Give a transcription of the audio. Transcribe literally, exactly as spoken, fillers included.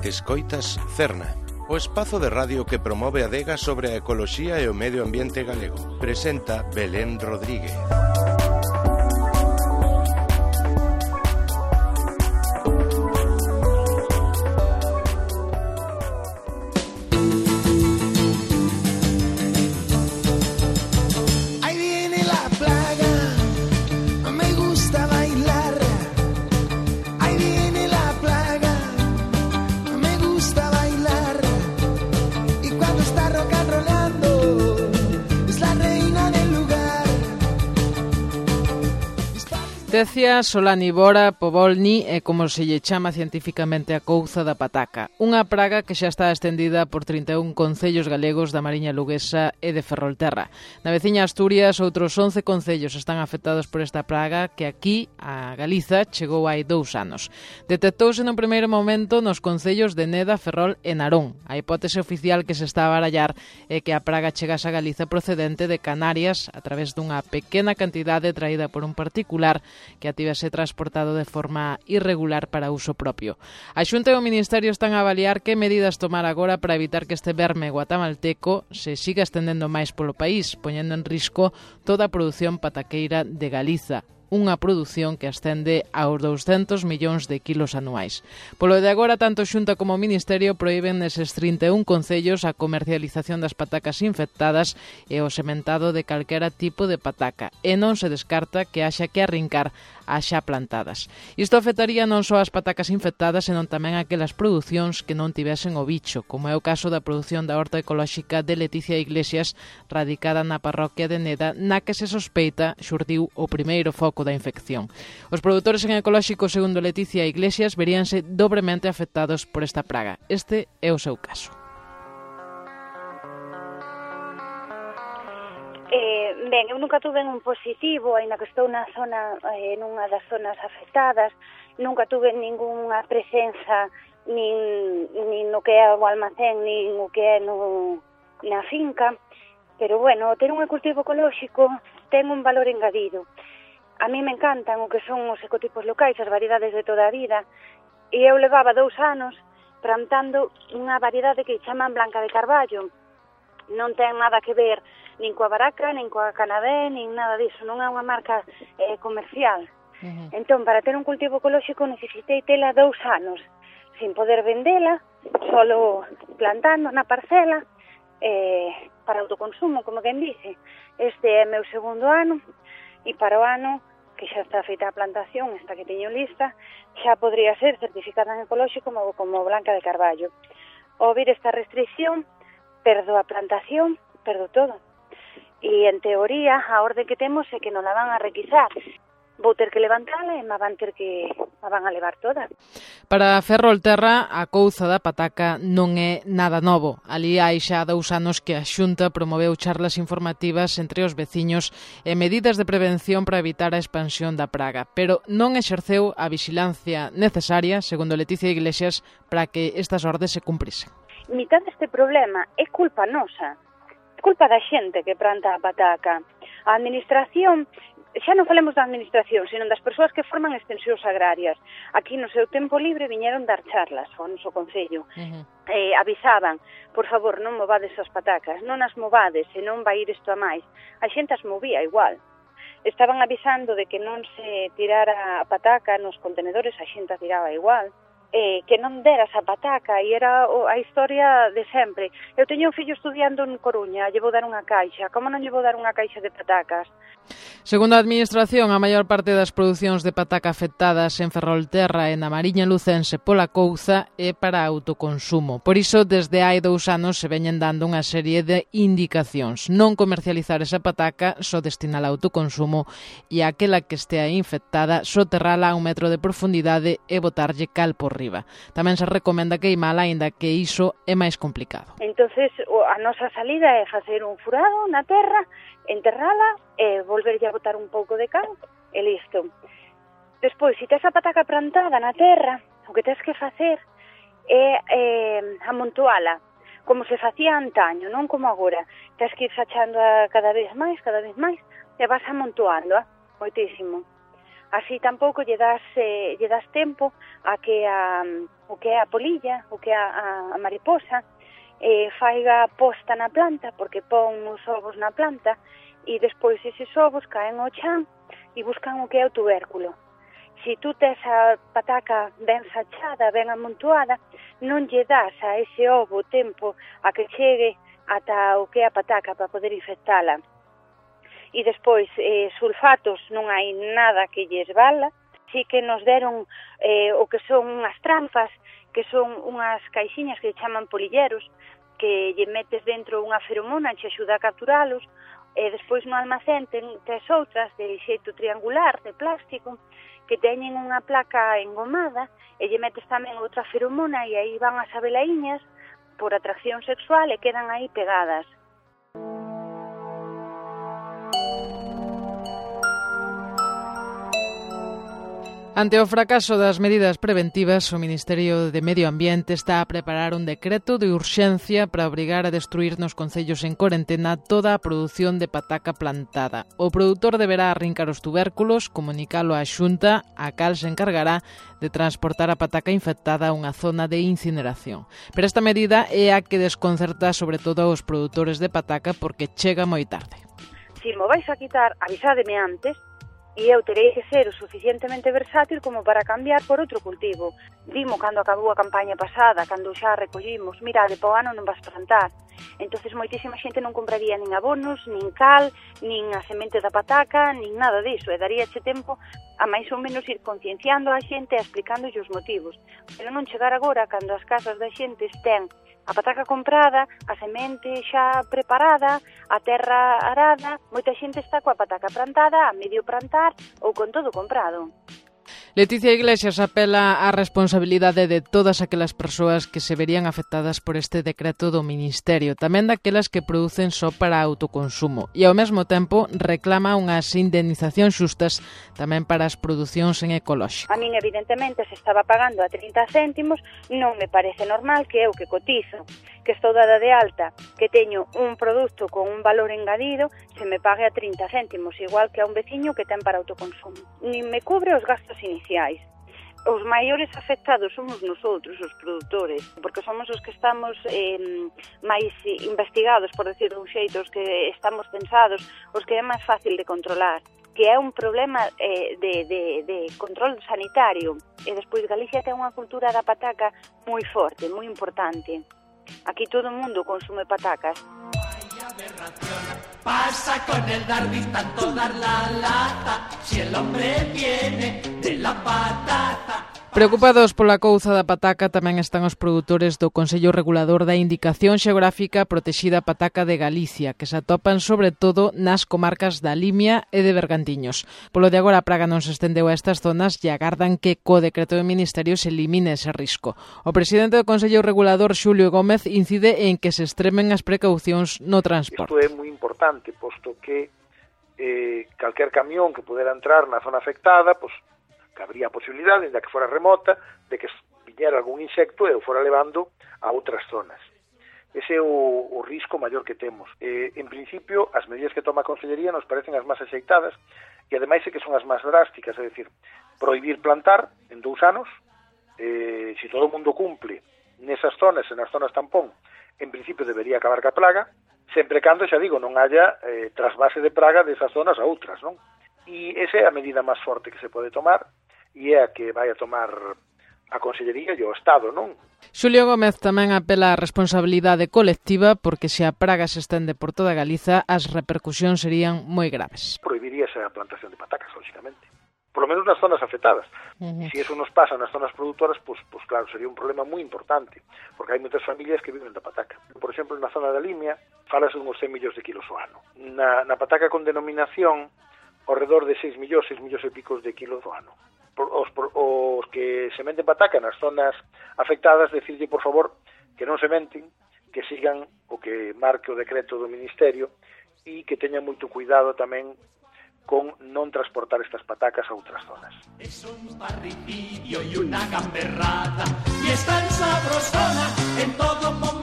Escoitas Cerna, o espazo de radio que promove a adega sobre a ecoloxía e o medio ambiente galego. Presenta Belén Rodríguez. Decía Solanivora povolni é como se lle chama cientificamente a couza da pataca, unha praga que xa está extendida por trinta e un concellos galegos da Mariña Luguesa e de Ferrolterra. Na veciña Asturias, outros once concellos están afectados por esta praga que aquí, a Galiza, chegou hai dous anos. Detectouse nun primeiro momento nos concellos de Neda, Ferrol e Narón. A hipótese oficial que se está a barallar é que a praga chegase a Galiza procedente de Canarias a través dunha pequena cantidade traída por un particular que a tivese transportado de forma irregular para uso propio. A Xunta e o Ministerio están a avaliar que medidas tomar agora para evitar que este verme guatamalteco se siga estendendo máis polo país, poñendo en risco toda a produción pataqueira de Galiza, unha produción que ascende aos douscentos millóns de kilos anuais. Polo de agora, tanto Xunta como o Ministerio proíben neses trinta e un concellos a comercialización das patacas infectadas e o sementado de calquera tipo de pataca, e non se descarta que haxa que arrincar as xa plantadas. Isto afectaría non só as patacas infectadas, senón tamén aquelas producións que non tivesen o bicho, como é o caso da produción da horta ecolóxica de Leticia Iglesias, radicada na parroquia de Neda, na que se sospeita xurdiu o primeiro foco da infección. Os produtores en ecolóxico, segundo Leticia Iglesias, veríanse dobremente afectados por esta praga. Este é o seu caso. Eh, ben, eu nunca tuve un positivo, aínda que estou na zona, eh, nunha das zonas afectadas, nunca tuve ningunha presenza nin, nin no que é o almacén, nin o que é no, na finca, pero bueno, ter un cultivo ecolóxico ten un valor engadido. A mí me encantan o que son os ecotipos locais, as variedades de toda a vida, e eu levaba dous anos plantando unha variedade que chaman Blanca de Carballo. Non ten nada que ver nin coa baraca, nin coa canadé, nin nada disso, non é unha marca eh, comercial. Uh-huh. Entón, para ter un cultivo ecolóxico necesitei tela dous anos, sin poder vendela, solo plantando na parcela, eh, para autoconsumo, como quen dice. Este é meu segundo ano, e para o ano que xa está feita a plantación, esta que teño lista, xa podría ser certificada en ecolóxico como, como Blanca de Carballo. Ao vir esta restricción, perdo a plantación, perdo todo. E, en teoría, a orde que temos é que non la van a requisar. Vou ter que levantala e me van ter que me van a levar toda. Para Ferrolterra, a couza da pataca non é nada novo. Ali hai xa dous anos que a Xunta promoveu charlas informativas entre os veciños e medidas de prevención para evitar a expansión da praga, pero non exerceu a vixilancia necesaria, segundo Leticia Iglesias, para que estas ordes se cumprisen. Mitad deste problema é culpa nosa, é culpa da xente que planta a pataca. A administración, xa non falemos da administración, sino das persoas que forman extensións agrarias. Aquí no seu tempo libre viñeron dar charlas ao noso concello. Uh-huh. Eh, avisaban, por favor, non movades as patacas, non as movades, senón vai ir isto a máis. A xente as movía igual. Estaban avisando de que non se tirara a pataca nos contenedores, a xente a tiraba igual. Eh, que non deras a pataca, e era a historia de sempre. Eu teño un fillo estudiando en Coruña, lle vou dar unha caixa, como non lle vou dar unha caixa de patacas? Segundo a Administración, a maior parte das producións de pataca afectadas en Ferrolterra e na Mariña Lucense pola couza é para autoconsumo. Por iso, desde hai dous anos se veñen dando unha serie de indicacións. Non comercializar esa pataca, só destinala a autoconsumo, e aquela que estea infectada, soterrala a un metro de profundidade e botarlle cal por riba. Tamén se recomenda queimala, aínda que iso é máis complicado. Entonces, a nosa salida é facer un furado na terra, enterrala e volverlle a botar un pouco de cal e listo. Despois, se tes a pataca plantada na terra, o que tes que facer é eh, amontoala, como se facía antaño, non como agora. Tes que ir sachando a cada vez máis, cada vez máis, e vas amontoando, a, moitísimo. Así tampouco lle das, eh, lle das tempo a que a, o que é a polilla, o que é a, a mariposa, eh, faiga posta na planta, porque pon os ovos na planta, e despois eses ovos caen ao chan e buscan o que é o tubérculo. Se tú tes a pataca ben sachada, ben amontoada, non lle das a ese ovo tempo a que chegue ata o que é a pataca para poder infectala. E despois, eh, sulfatos non hai nada que lles vala, sí que nos deron eh, o que son unhas trampas, que son unhas caixiñas que chaman polilleros, que lle metes dentro unha feromona, che axuda a capturalos, e despois no almacén ten tres outras de xeito triangular, de plástico, que teñen unha placa engomada, e lle metes tamén outra feromona, e aí van as abelaiñas por atracción sexual e quedan aí pegadas. Ante o fracaso das medidas preventivas, o Ministerio de Medio Ambiente está a preparar un decreto de urxencia para obrigar a destruir nos concellos en corentena toda a produción de pataca plantada. O produtor deberá arrincar os tubérculos, comunicalo á Xunta, a cal se encargará de transportar a pataca infectada a unha zona de incineración. Pero esta medida é a que desconcerta sobre todo aos produtores de pataca porque chega moi tarde. Si mo vais a quitar, avisádeme antes, e eu terei que ser o suficientemente versátil como para cambiar por outro cultivo. Dimo cando acabou a campaña pasada, cando xa recollimos, mirade, po ano non vas plantar. Entonces moitísima xente non compraría nin abonos, nin cal, nin a semente da pataca, nin nada diso, e daríache tempo a máis ou menos ir concienciando a xente e explicándolle os motivos. Pero non chegar agora cando as casas da xente estén a pataca comprada, a semente xa preparada, a terra arada, moita xente está coa pataca plantada, a medio plantar ou con todo comprado. Leticia Iglesias apela á responsabilidade de todas aquelas persoas que se verían afectadas por este decreto do Ministerio, tamén daquelas que producen só para autoconsumo, e ao mesmo tempo reclama unhas indemnizacións xustas tamén para as producións en ecolóxico. A min, evidentemente, se estaba pagando a trinta céntimos, non me parece normal que eu que cotizo, que estou dada de alta, que teño un produto con un valor engadido, se me pague a trinta céntimos, igual que a un veciño que ten para autoconsumo. Nin me cubre os gastos iniciais. Os maiores afectados somos nosotros, os produtores, porque somos os que estamos eh, máis investigados, por decir un xeito, os que estamos pensados, os que é máis fácil de controlar, que é un problema eh, de, de, de control sanitario. E despois Galicia ten unha cultura da pataca moi forte, moi importante. Aquí todo o mundo consume patacas. Pasa con el Darby tanto dar la lata, si el hombre viene de la patata. Preocupados pola couza da pataca tamén están os produtores do Consello Regulador da Indicación Xeográfica Protexida Pataca de Galicia, que se atopan sobre todo nas comarcas da Limia e de Bergantiños. Polo de agora a praga non se estendeu a estas zonas e agardan que co decreto do Ministerio se elimine ese risco. O presidente do Consello Regulador, Xulio Gómez, incide en que se extremen as precaucións no transporte. Isto é moi importante, posto que eh, calquer camión que pudera entrar na zona afectada, pois, que habría a posibilidade, ainda que fora remota, de que viñera algún insecto e o fora levando a outras zonas. Ese é o, o risco maior que temos. Eh, en principio, as medidas que toma a Consellería nos parecen as máis axeitadas e ademais é que son as máis drásticas, é dicir, prohibir plantar en dous anos, eh, se todo o mundo cumple nesas zonas e nas zonas tampón, en principio debería acabar ca plaga, sempre cando, xa digo, non haya eh, trasvase de praga desas zonas a outras, non? E esa é a medida máis forte que se pode tomar, e é a que vai a tomar a Consellería e o Estado, non? Xulio Gómez tamén apela á responsabilidade colectiva porque se a praga se estende por toda Galiza, as repercusións serían moi graves. Prohibiríase a plantación de patacas, lógicamente. Por lo menos nas zonas afectadas. Uh-huh. E se eso nos pasa nas zonas produtoras, pues, pues claro, sería un problema moi importante, porque hai moitas familias que viven da pataca. Por exemplo, na zona da Limia, falase uns cen millóns de kilos ao ano. Na, na pataca con denominación, ao redor de seis millóns, seis millóns e picos de kilos ao ano. Os, os que sementen pataca nas zonas afectadas, decirlle, por favor, que non sementen, que sigan o que marque o decreto do Ministerio e que teñan moito cuidado tamén con non transportar estas patacas a outras zonas. Es un parricidio y una gamberrada y está en sabrosona en todo momento.